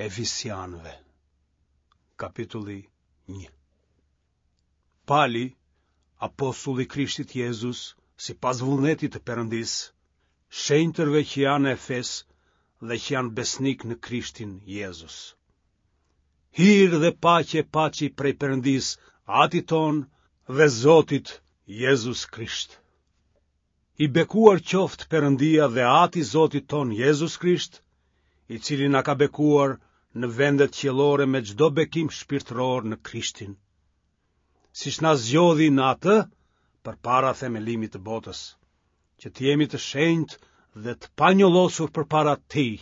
Efesianëve, kapitulli 1. Pali, apostull i Krishtit Jezus, sipas vullnetit të Perëndisë, shenjtërve që janë në Efes dhe që janë besnikë në Krishtin Jezus. Hir dhe paqe paçi prej Perëndisë, Atit tonë dhe Zotit Jezus Krisht. I bekuar qoftë Perëndia dhe Ati i Zotit tonë Jezus Krisht, i cili na ka bekuar në vendet qiellore me çdo bekim shpirtëror në Krishtin. Siç na zgjodhi në atë përpara themelimit të botës, që të jemi të shenjtë dhe të panjollosur përpara tij.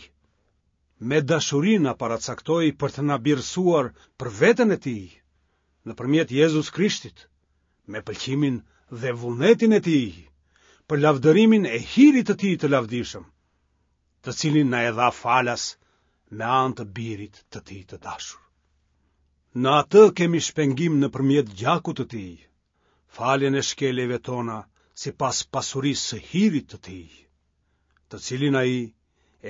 Me dashuri na paracaktoi për të na birësuar për veten e tij, nëpërmjet Jezus Krishtit, me pëlqimin dhe vullnetin e tij, për lavdërimin e hirit të tij të lavdishëm, të cilin na e dha falas me anë të birit të tij të dashur. Në atë kemi shpengim nëpërmjet gjakut të tij, faljen e shkeljeve tona sipas pasurisë së hirit të tij, të cilin ai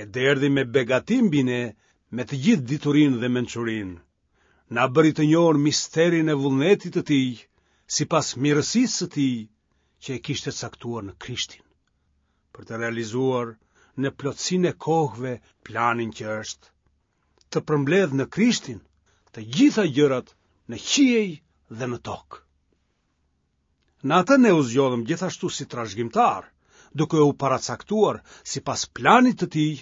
e derdhi me begati mbi ne me të gjithë diturinë dhe mençurinë, na bëri të njohur misterin e vullnetit të tij, sipas mirësisë së tij që e kishte caktuar në Krishtin, për të realizuar në plotësinë e kohëve planin që është, të përmbledhë në Krishtin të gjitha gjërat në qiej dhe në tokë. Në atë ne u zgjodhëm gjithashtu si trashëgimtarë, duke u paracaktuar sipas planit të tij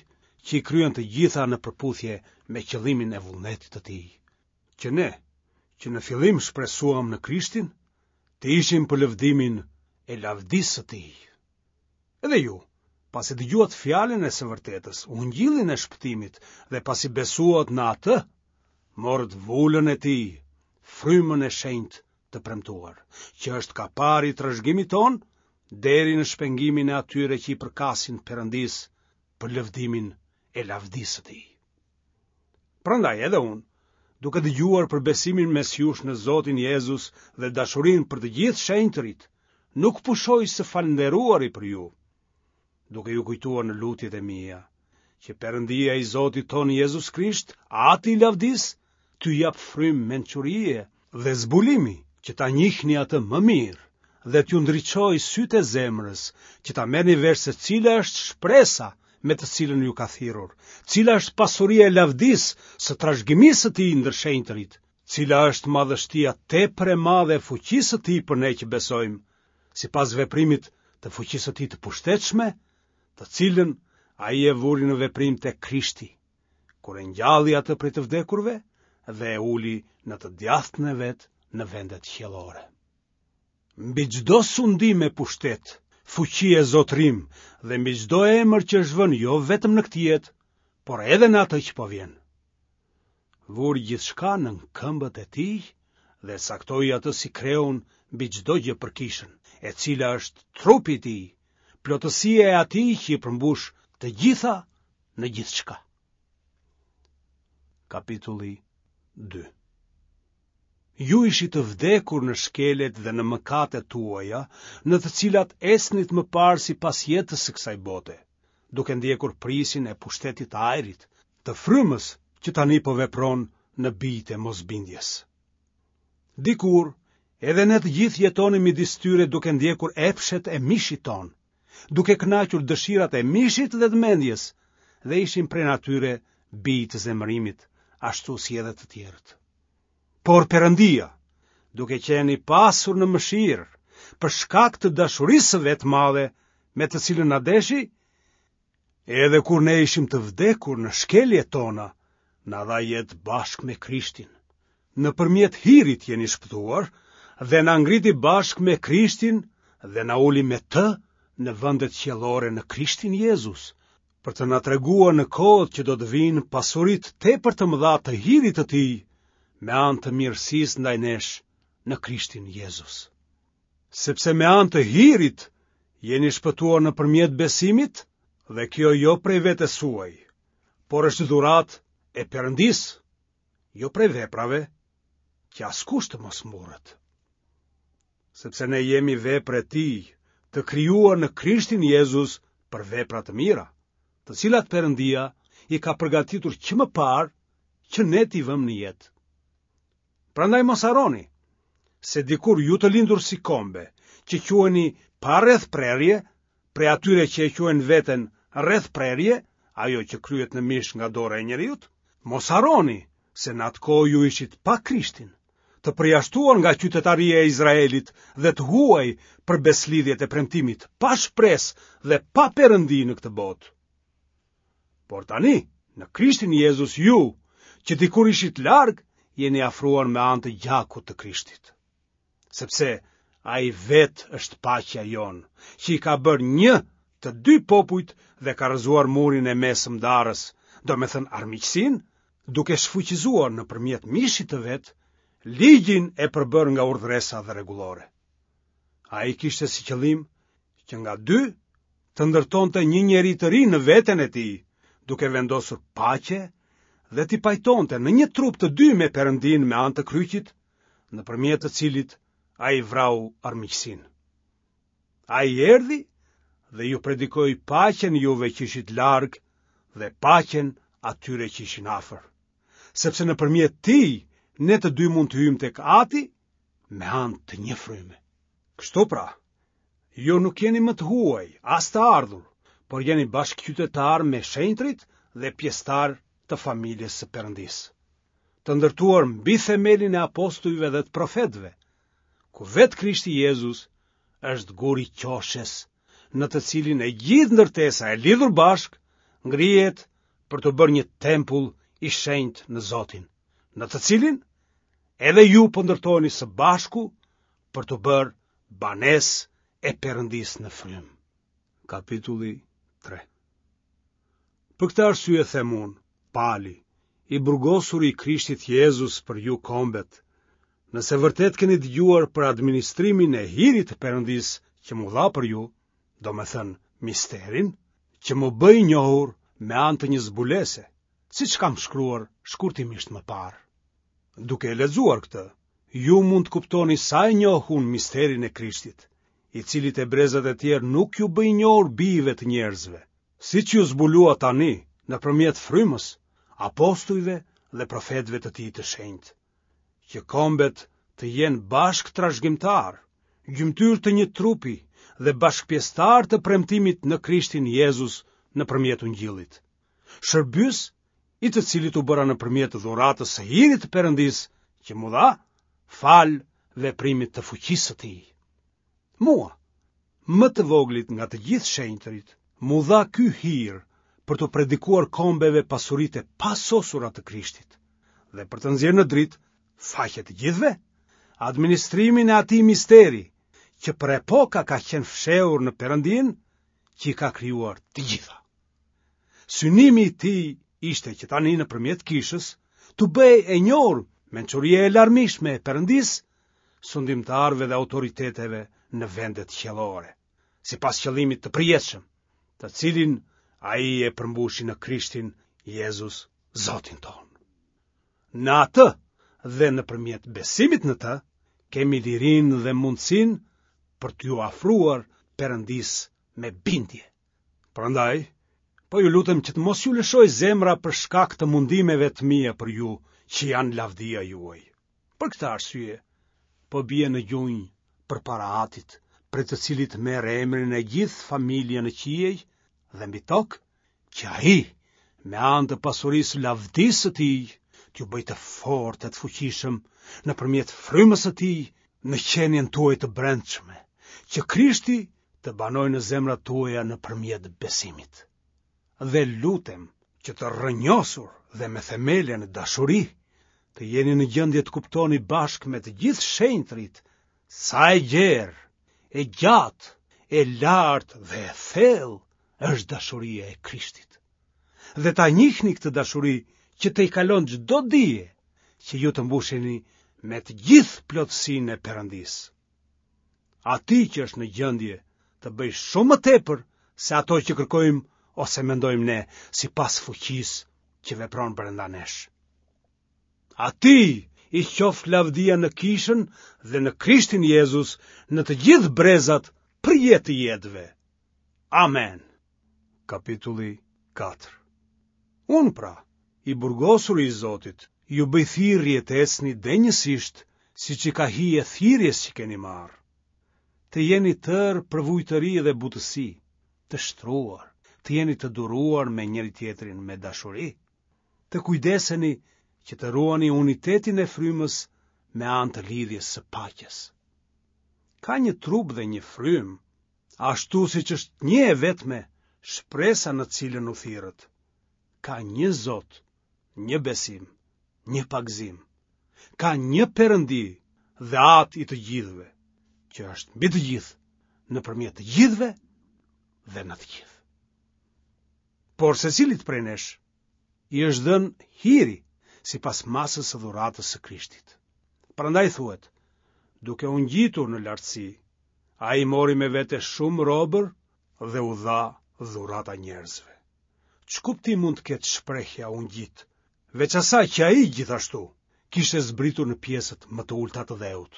që i kryen të gjitha në përputhje me qëllimin e vullnetit të tij, që ne, që në fillim shpresuam në Krishtin, të ishim për lëvdimin e lavdisë së tij. Edhe ju, pasi dëgjuat fjalën e së vërtetës, ungjillin e shpëtimit dhe pasi besuat në atë, morët vulën e tij, frymën e shenjtë të premtuar, që është kapari i trashëgimit tonë deri në shpengimin e atyre që i përkasin Perëndisë për lëvdimin e lavdisë së tij. Prandaj edhe unë, duke dëgjuar për besimin mes jush në Zotin Jezus dhe dashurinë për të gjithë shenjtërit, nuk pushoj së falënderuari për ju, duke ju kujtuar në lutjet e mia, që Perëndia i Zotit tonë Jezus Krisht, Ati i lavdisë, t'ju japë frymë mençurie dhe zbulimi që ta njihni atë më mirë dhe t'ju ndriçojë sytë e zemrës, që ta merrni vesh se cila është shpresa me të cilën ju ka thirrur, cila është pasuria e lavdisë së trashëgimisë së tij ndër shenjtërit, cila është madhështia tepër e madhe e fuqisë së tij për ne që besojmë, sipas veprimit të fuqisë së tij të pushtetshme, të cilën ai e vuri në veprim te Krishti, kur e ngjalli atë prej të vdekurve dhe e uli në të djathtën e vet në vendet qiellore. Mbi çdo sundim e pushtet, fuqi e zotërim dhe mbi çdo emër që është vënë jo vetëm në këtë jetë, por edhe në atë që po vjen. Vuri gjithçka nën këmbët e tij dhe e caktoi atë si kreun mbi çdo gjë për kishën, e cila është trupi i tij, plotësia e atij që i përmbush të gjitha në gjithçka. Kapitulli 2 Ju ishit të vdekur në shkeljet dhe në mëkatet tuaja, në të cilat ecnit më parë sipas jetës së kësaj bote, duke ndjekur prijësin e pushtetit të ajrit, të frymës që tani po vepron në bijtë e mosbindjes. Dikur, edhe ne të gjithë jetonim midis tyre duke ndjekur epshet e mishit tonë, duke kënaqur dëshirat e mishit dhe të mendjes, dhe ishim prej natyre bij të zemërimit, ashtu si edhe të tjerët. Por Perëndia, duke qenë i pasur në mëshirë, për shkak të dashurisë së vet të madhe, me të cilën na deshi, edhe kur ne ishim të vdekur në shkeljet tona, na dha jetë bashkë me Krishtin. Nëpërmjet hirit jeni shpëtuar dhe na ngriti bashkë me Krishtin dhe na uli me të në vendet qiellore në Krishtin Jezus, për të na treguar në kohët që do të vijnë pasuritë tepër të mëdha të hirit të tij me anë të mirësisë ndaj nesh në Krishtin Jezus. Sepse me anë të hirit jeni shpëtuar nëpërmjet besimit dhe kjo jo prej vetes suaj, por është dhuratë e Perëndisë, jo prej veprave, që askush të mos mburret. Sepse ne jemi vepër e tij, të krijuar në Krishtin Jezus për vepra të mira, të cilat Perëndia i ka përgatitur që më parë. që ne t'i vëmë në jetë. Prandaj mos harroni se dikur ju të lindur si kombe, që quheni pa rrethprerje, prej atyre që e quajnë veten rrethprerje, ajo që kryhet në mish nga dora e njeriut, mos harroni se në atë kohë ju ishit pa Krishtin, të përjashtuar nga qytetaria e Izraelit dhe të huaj për besëlidhjet e premtimit, pa shpresë dhe pa Perëndi në këtë botë. Por tani, në Krishtin Jezus ju, që dikur ishit larg, jeni afruar me anë të gjakut të Krishtit. Sepse ai vetë është paqja jonë, që i ka bërë një të dy popujt dhe ka rrëzuar murin e mesëm ndarës, domethënë armiqësinë, duke shfuqizuar nëpërmjet mishit të vet ligjin e përbërë nga urdhëresa dhe rregullore. Ai kishte si qëllim që nga dy të ndërtonte një njeri të ri në veten e tij, duke vendosur paqe dhe t'i pajtonte në një trup të dy me Perëndinë me anë të kryqit, nëpërmjet të cilit ai vrau armiqësinë. Ai erdhi dhe ju predikoi paqen juve që ishit larg dhe paqen atyre që ishin afër. Sepse nëpërmjet tij ne të dy mund të hyjmë tek Ati me anë të një fryme. Kështu pra, ju nuk jeni më të huaj, as të ardhur, por jeni bashkëqytetarë me shenjtërit dhe pjesëtarë të familjes së Perëndisë. Të ndërtuar mbi themelin e apostujve dhe të profetëve, ku vetë Krishti Jezus është guri i qoshes, në të cilin e gjithë ndërtesa e lidhur bashkë ngrihet për t'u bërë një tempull i shenjtë në Zotin, në të cilin edhe ju po ndërtoheni së bashku për t'u bërë banesë e Perëndisë në frymë. Kapitulli 3 Për këtë arsye them unë, Pali, i burgosuri i Krishtit Jezus për ju kombet, nëse vërtet keni dëgjuar për administrimin e hirit të Perëndisë që m'u dha për ju, domethënë misterin, që m'u bë i njohur me anë të një zbulese, siç kam shkruar shkurtimisht më parë. Duke e lexuar këtë, ju mund të kuptoni sa e njoh unë misterin e Krishtit, i cili te brezat e tjerë nuk iu bë i njohur bijve të njerëzve, siç iu zbulua tani nëpërmjet frymës, apostujve dhe profetëve të tij të shenjtë, që kombet të jenë bashkëtrashëgimtarë, gjymtyrë të një trupi dhe bashkëpjesëtarë të premtimit në Krishtin Jezus nëpërmjet Ungjillit. Shërbyes i të cilit u bëra nëpërmjet dhuratës së hirit të Perëndisë që m'u dha falë veprimit të fuqisë së tij. Mua, më të voglit nga të gjithë shenjtërit, m'u dha ky hir për t'u predikuar kombeve pasuritë e pasosura të Krishtit dhe për të nxjerrë në dritë faqe të gjithëve, administrimin e atij misteri që për epoka ka qenë fshehur në Perëndinë që i ka krijuar të gjitha. Synimi i tij ishte që tani nëpërmjet kishës t'u bëhej e njohur mençuria e larmishme e Perëndisë sundimtarëve dhe autoriteteve në vendet qiellore, sipas qëllimit të përjetshëm, të cilin ai e përmbushi në Krishtin Jezus, Zotin tonë. Në atë dhe nëpërmjet besimit në të, kemi lirinë dhe mundësinë për t'iu afruar Perëndisë me bindje. Prandaj, po ju lutem që të mos ju lëshojë zemra për shkak të mundimeve të mia për ju, që janë lavdia juaj. Për këtë arsye, po bie në gjunjë përpara Atit, prej të cilit merr emrin e gjithë familja në qiej dhe mbi tokë, që ai, me anë të pasurisë së lavdisë së tij, t'ju bëjë të fortë e të fuqishëm nëpërmjet frymës së tij në qenien tuaj të brendshme, që Krishti të banojë në zemrat tuaja nëpërmjet besimit. Dhe lutem që të rrënjosur dhe me themele në dashuri, të jeni në gjendje të kuptoni bashkë me të gjithë shenjtërit sa e gjerë, e gjatë, e lartë dhe e thellë është dashuria e Krishtit. Dhe ta njihni këtë dashuri që tejkalon çdo dije, që ju të mbusheni me të gjithë plotësinë e Perëndisë. Atij që është në gjendje të bëjë shumë më tepër se ato që kërkojmë ose mendojmë ne, sipas fuqisë që vepron brenda nesh. Atij i qoftë lavdia në kishën dhe në Krishtin Jezus në të gjithë brezat për jetë të jetëve. Amen. Kapitulli 4 Unë pra, i burgosuri i Zotit, ju bëj thirrje të ecni denjësisht siç i ka hije thirrjes që keni marrë. Të jeni tërë përvujtëri dhe butësi, të shtruar, të jeni të duruar me njëri-tjetrin me dashuri. Të kujdeseni që të ruani unitetin e frymës me anë të lidhjes së paqes. Ka një trup dhe një frymë, ashtu siç është një e vetme shpresa në të cilën u thirrët. Ka një Zot, një besim, një pagëzim. Ka një Perëndi dhe Atë i të gjithëve, që është mbi të gjithë, nëpërmjet të gjithëve dhe në të gjithë. Por secilit prej nesh i është dhënë hiri sipas masës së dhuratës së Krishtit. Prandaj thuhet, duke u ngjitur në lartësi, ai mori me vete shumë robër dhe u dha dhurata njerëzve. Ç'kuptim mund të ketë shprehja u ngjit, veç asaj që ai gjithashtu kishte zbritur në pjesët më të ulëta të dheut.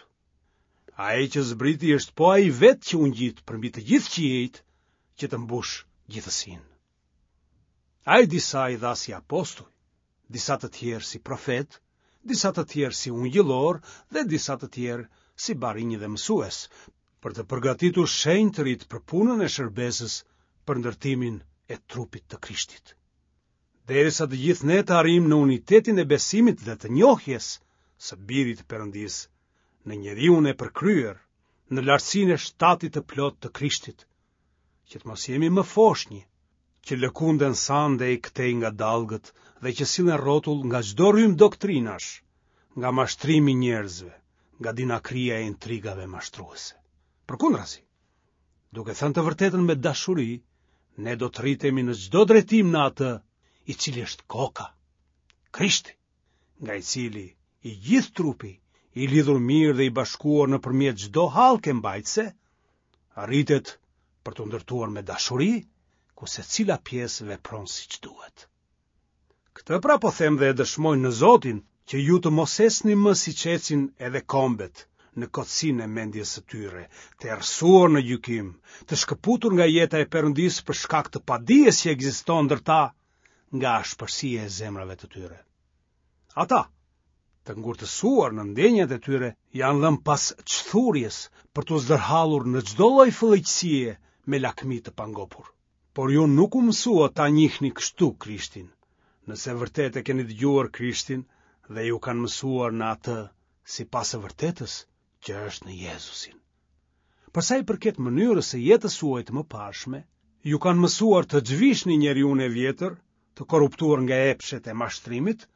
Ai që zbriti është po ai vetë që u ngjit përmbi të gjithë qiejt që të mbushë gjithësinë. Ai disa i dha si apostuj, disa të tjerë si profetë, disa të tjerë si ungjillorë dhe disa të tjerë si barinj dhe mësues, për të përgatitur shenjtërit për punën e shërbesës për ndërtimin e trupit të Krishtit. Derisa të gjithë ne të arrijmë në unitetin e besimit dhe të njohjes së Birit të Perëndisë, në njeriun e përkryer, në lartësinë e shtatit të plotë të Krishtit, që të mos jemi më foshnjë, që lëkunden sa andej këtej nga dallgët dhe që sillen rrotull nga çdo rrymë doktrinash, nga mashtrimi i njerëzve, nga dinakëria e intrigave mashtruese. Përkundrazi, duke thënë të vërtetën me dashuri, ne do të rritemi në çdo drejtim në atë i cili është koka, Krishti. nga i cili i gjithë trupi, i lidhur mirë dhe i bashkuar nëpërmjet çdo hallke mbajtëse, rritet për t'u ndërtuar me dashuri, ku secila pjesë vepron siç duhet. Këtë pra po them dhe e dëshmoj në Zotin, që ju të mos ecni më siç ecin edhe kombet, në kotësinë e mendjes së tyre, të errësuar në gjykim, të shkëputur nga jeta e Perëndisë për shkak të padijes që ekziston ndër ta nga ashpërsia e zemrave të tyre. Ata, të ngurtësuar në ndjenjat e tyre, janë dhënë pas çthurjes për t'u zdërhallur në çdo lloj fëlliqësie me lakmi të pangopur. Por ju nuk u mësuat ta njihni kështu Krishtin, nëse vërtet e keni dëgjuar Krishtin dhe ju kanë mësuar në atë sipas së vërtetës që është në Jezusin. Për sa i përket mënyrës së jetës suaj të mëparshme, ju kanë mësuar të zhvishni njeriun e vjetër, të korruptuar nga epshet e mashtrimit,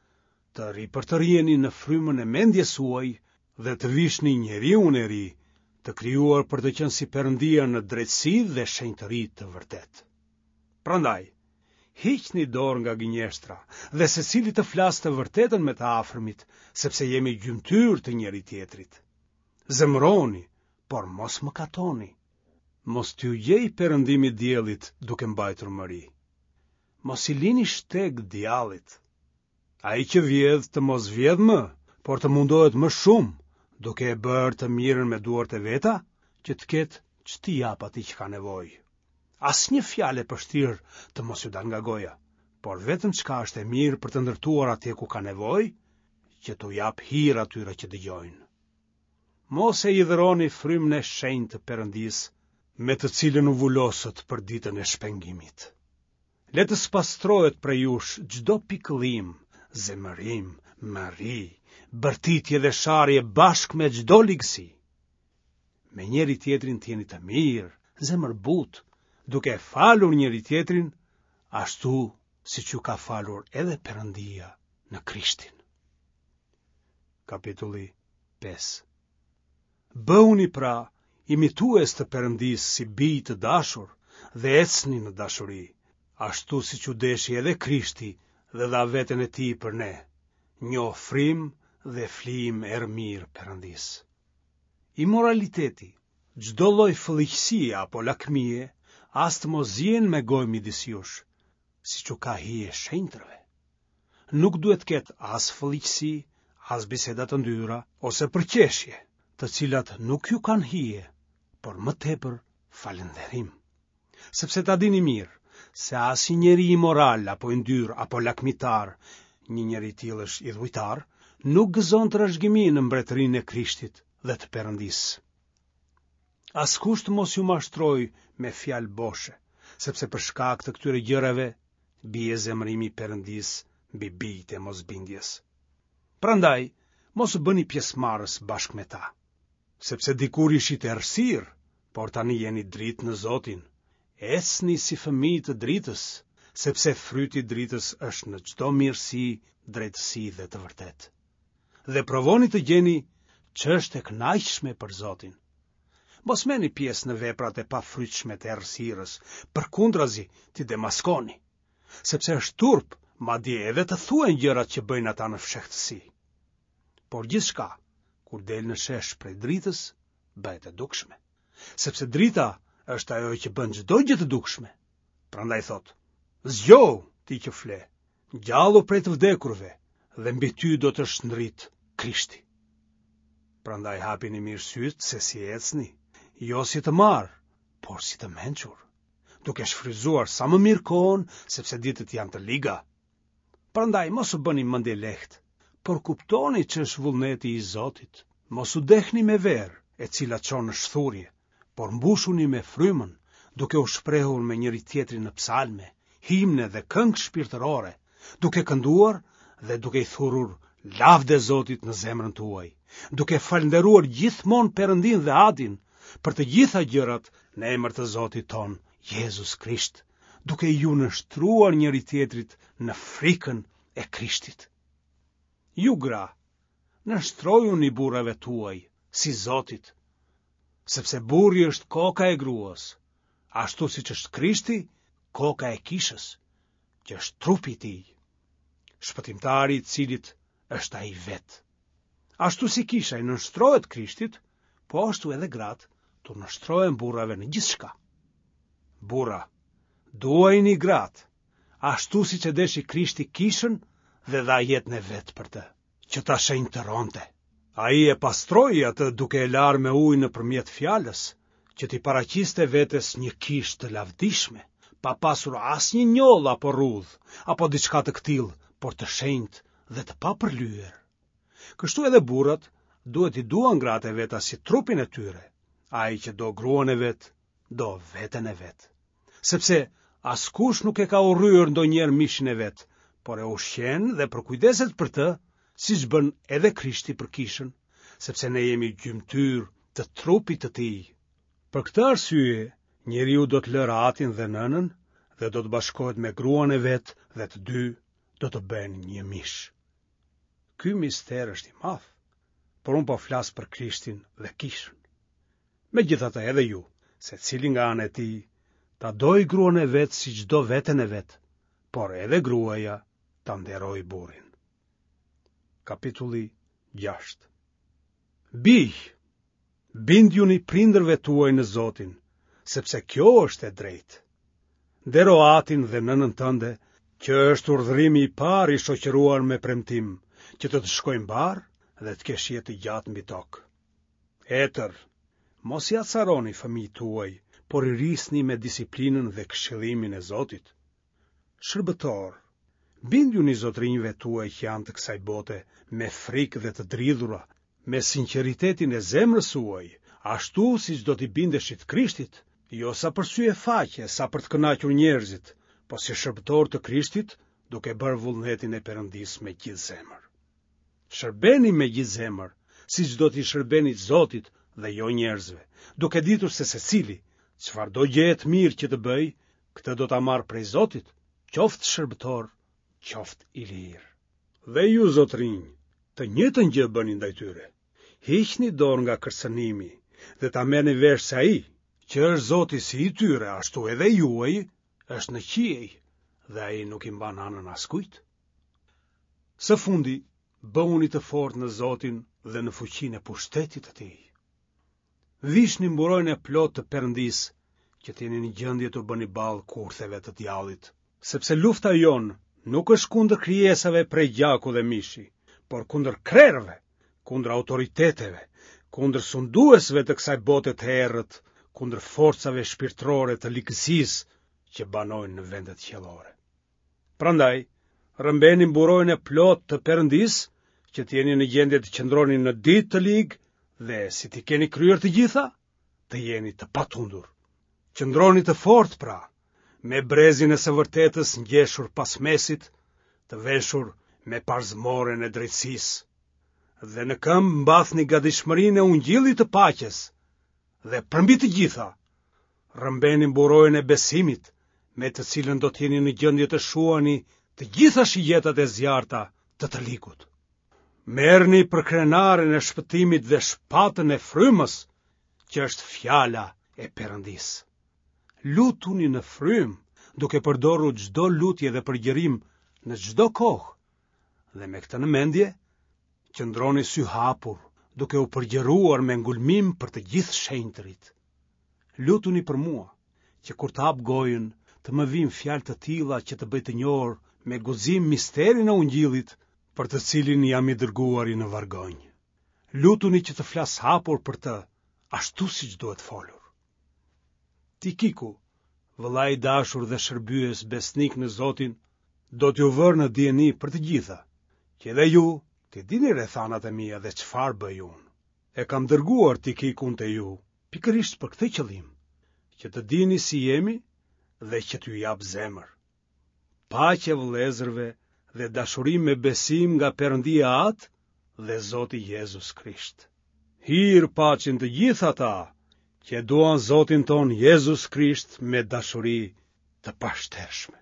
të ripërtëriheni në frymën e mendjes suaj dhe të vishni njeriun e ri, të krijuar për të qenë si Perëndia në drejtësi dhe shenjtëri të vërtetë. Prandaj, hiqni dorë nga gënjeshtra dhe secili të flasë të vërtetën me të afërmit, sepse jemi gjymtyrë të njëri-tjetrit. Zemërohuni, por mos mëkatoni. Mos t'ju gjejë perëndimi i diellit duke mbajtur mëri. Mos i lini shteg djallit. Ai që vjedh të mos vjedhë më, por të mundohet më shumë, duke e bërë të mirën me duart e veta, që të ketë ç't'i japë atij që ka nevojë. Asnjë fjalë e pështirë të mos ju dalë nga goja, por vetëm çka është e mirë për të ndërtuar atje ku ka nevojë, që t'u japë hir atyre që dëgjojnë. Mos e hidhëroni frymën e shenjtë të Perëndisë, me të cilën u vulosët për ditën e shpengimit. Le të spastrohet prej jush çdo pikëllim, zemërim, mëri, bërtitje dhe sharje bashkë me çdo ligësi. Me njëri-tjetrin të jeni të mirë, zemërbutë, duke e falur njëri-tjetrin, ashtu siç ju ka falur edhe Perëndia në Krishtin. Kapitulli 5 Bëhuni pra imitues të Perëndisë si bij të dashur dhe ecni në dashuri, ashtu siç u deshi edhe Krishti dhe dha veten e tij për ne, një ofrim dhe flijim erëmirë Perëndisë. Imoraliteti, çdo lloj fëlliqësie apo lakmie, as të mos ziejnë me gojë midis jush, siç u ka hije shenjtërve. Nuk duhet të ketë as fëlliqësi, as biseda të ndyra ose përqeshje, të cilat nuk ju kanë hije, por më tepër falënderim. Sepse ta dini mirë se asnjë njeri imoral apo i ndyrë apo lakmitar. një njeri i tillë është idhujtar, nuk gëzon trashëgimi në mbretërinë e Krishtit dhe të Perëndisë. Askush të mos ju mashtrojë me fjalë boshe, sepse për shkak të këtyre gjërave bie zemërimi i Perëndisë mbi bijtë e mosbindjes. Prandaj, mos u bëni pjesëmarrës bashkë me ta. Sepse dikur ishit errësirë, por tani jeni dritë në Zotin. Ecni si fëmijë të dritës, sepse fryti i dritës është në çdo mirësi, drejtësi dhe të vërtetë. Dhe provoni të gjeni ç'është e kënaqshme për Zotin. Mos merrni pjesë në veprat e pafrytshme të errësirës, përkundrazi t'i demaskoni, sepse është turp, madje edhe të thuhen gjërat që bëjnë ata në fshehtësi. Por gjithçka, kur del në shesh prej dritës, bëhet e dukshme. Sepse drita është ajo që bën çdo gjë të dukshme. Prandaj thotë, zgjohu ti që fle, ngjallu prej të vdekurve dhe mbi ty do të shndritë Krishti. Prandaj hapini mirë sytë se si ecni, jo si të marrë, por si të mençur, duke shfrytëzuar sa më mirë kohën, sepse ditët janë të liga. Prandaj mos u bëni mendjelehtë, por kuptoni ç'është vullneti i Zotit. Mos u dehni me verë, e cila çon në shthurje, por mbushuni me frymën, duke u shprehur me njëri-tjetrin në psalme, himne dhe këngë shpirtërore, duke kënduar dhe duke i thurur lavde Zotit në zemrën tuaj, duke falënderuar gjithmonë Perëndinë dhe Atin për të gjitha gjërat në emër të Zotit tonë, Jezus Krisht. duke iu nënshtruar njëri-tjetrit në frikën e Krishtit. Ju gra, nënshtrojuni burrave tuaj, si Zotit, sepse burri është koka e gruas, ashtu siç është Krishti, koka e kishës, që është trupi i tij, shpëtimtari i të cilit është ai vetë. Ashtu si kisha i nënshtrohet Krishtit, po ashtu edhe gratë t'u nënshtrohen burrave në gjithçka. Burra, duajini gratë, ashtu siç e deshi Krishti kishën dhe dha jetën e vet për të, që ta shenjtëronte. Ai e pastroi atë duke e larë me ujë nëpërmjet fjalës, që t'i paraqiste vetes një kishë të lavdishme, pa pasur asnjë njollë apo rrudhë, apo diçka të këtillë, por të shenjtë dhe të papërlyer. Kështu edhe burrat duhet t'i duan gratë e veta si trupin e tyre. Ai që do gruan e vet, do veten e vet. Sepse askush nuk e ka urryer ndonjëherë mishin e vet, por e ushqen dhe përkujdeset për të, siç bën edhe Krishti për kishën, sepse ne jemi gjymtyrë të trupit të tij. Për këtë arsye, njeriu do të lërë atin dhe nënën dhe do të bashkohet me gruan e vet dhe të dy do të bëhen një mish. Ky mister është i madh, por unë po flas për Krishtin dhe kishën. Megjithatë edhe ju, secili nga ana e tij, ta dojë gruan e vet siç do veten e vet, por edhe gruaja ta nderojë burrin. Kapitulli 6 Bij, bindjuni prindërve tuaj në Zotin, sepse kjo është e drejtë. Ndero atin dhe nënën tënde, që është urdhërimi i parë i shoqëruar me premtim, që të të shkojë mbarë dhe të kesh jetë të gjatë mbi tokë. Etër, mos i acaroni fëmijët tuaj, por i rrisni me disiplinën dhe këshillimin e Zotit. Shërbëtorë, bindjuni zotërinjve tuaj që janë të kësaj bote me frikë dhe të dridhura, me sinqeritetin e zemrës suaj, ashtu siç do t'i bindeshit Krishtit, jo sa për sy e faqe, sa për të kënaqur njerëzit, po si shërbëtorë të Krishtit, duke bërë vullnetin e Perëndisë me gjithë zemër. Shërbeni me gjithë zemër, siç do t'i shërbenit Zotit dhe jo njerëzve, duke ditur se secili, çfarëdo gjëje të mirë që të bëjë, këtë do ta marrë prej Zotit, qoftë shërbëtor, qoftë i lirë. Dhe ju zotërinj, të njëjtën gjë bëni ndaj tyre. Hiqni dorë nga kërcënimi dhe ta merrni vesh se ai, që është Zoti si i tyre, ashtu edhe i juaji, është në qiej dhe ai nuk i mban anën askujt. Së fundi, bëhuni të fortë në Zotin dhe në fuqinë e pushtetit të tij. Vishni mburojën e plotë të Perëndisë, që të jeni në gjendje t'u bëni ballë kurtheve të djallit. Sepse lufta jonë nuk është kundër krijesave prej gjaku dhe mishi, por kundër krerëve, kundër autoriteteve, kundër sunduesve të kësaj bote të errët, kundër forcave shpirtërore të ligësisë që banojnë në vendet qiellore. Prandaj, Rrëmbeni mburojën e plotë të Perëndisë, që të jeni në gjendje të qëndroni në ditë të ligë dhe si t'i keni kryer të gjitha, të jeni të patundur. Qëndroni të fortë pra, me brezin e së vërtetës ngjeshur pas mesit, të veshur me parzmoren e drejtësisë, dhe në këmbë mbathni gatishmërinë e ungjillit të paqes, dhe përmbi të gjitha, rrëmbeni mburojën e besimit, me të cilën do të jeni në gjendje të shuani të gjitha shigjetat e zjarrta të të ligut. Merrni përkrenaren e shpëtimit dhe shpatën e frymës, që është fjala e Perëndisë. Lutuni në frymë, duke përdorur çdo lutje dhe përgjërim në çdo kohë, dhe me këtë në mendje, qëndroni syhapur, duke u përgjëruar me ngulmim për të gjithë shenjtërit. Lutuni për mua, që kur të hap gojën, të më vijnë fjalë të tilla që të bëj të njohur me guxim misterin e Ungjillit, për të cilin jam i dërguari në vargonj. Lutuni që të flas hapur për të, ashtu siç duhet folur. Tikiku, vëlla i dashur dhe shërbyes besnik në Zotin, do t'ju vërë në dijeni për të gjitha, që edhe ju t'i dini rrethanat e mia dhe çfarë bëj unë. E kam dërguar Tikikun te ju, pikërisht për këtë qëllim, që të dini si jemi dhe që t'ju japë zemër. Paqe vëllezërve dhe dashuri me besim nga Perëndia Atë dhe Zoti Jezus Krisht. Hir paçin të gjithë ata që e duan Zotin tonë Jezus Krisht me dashuri të pashtershme.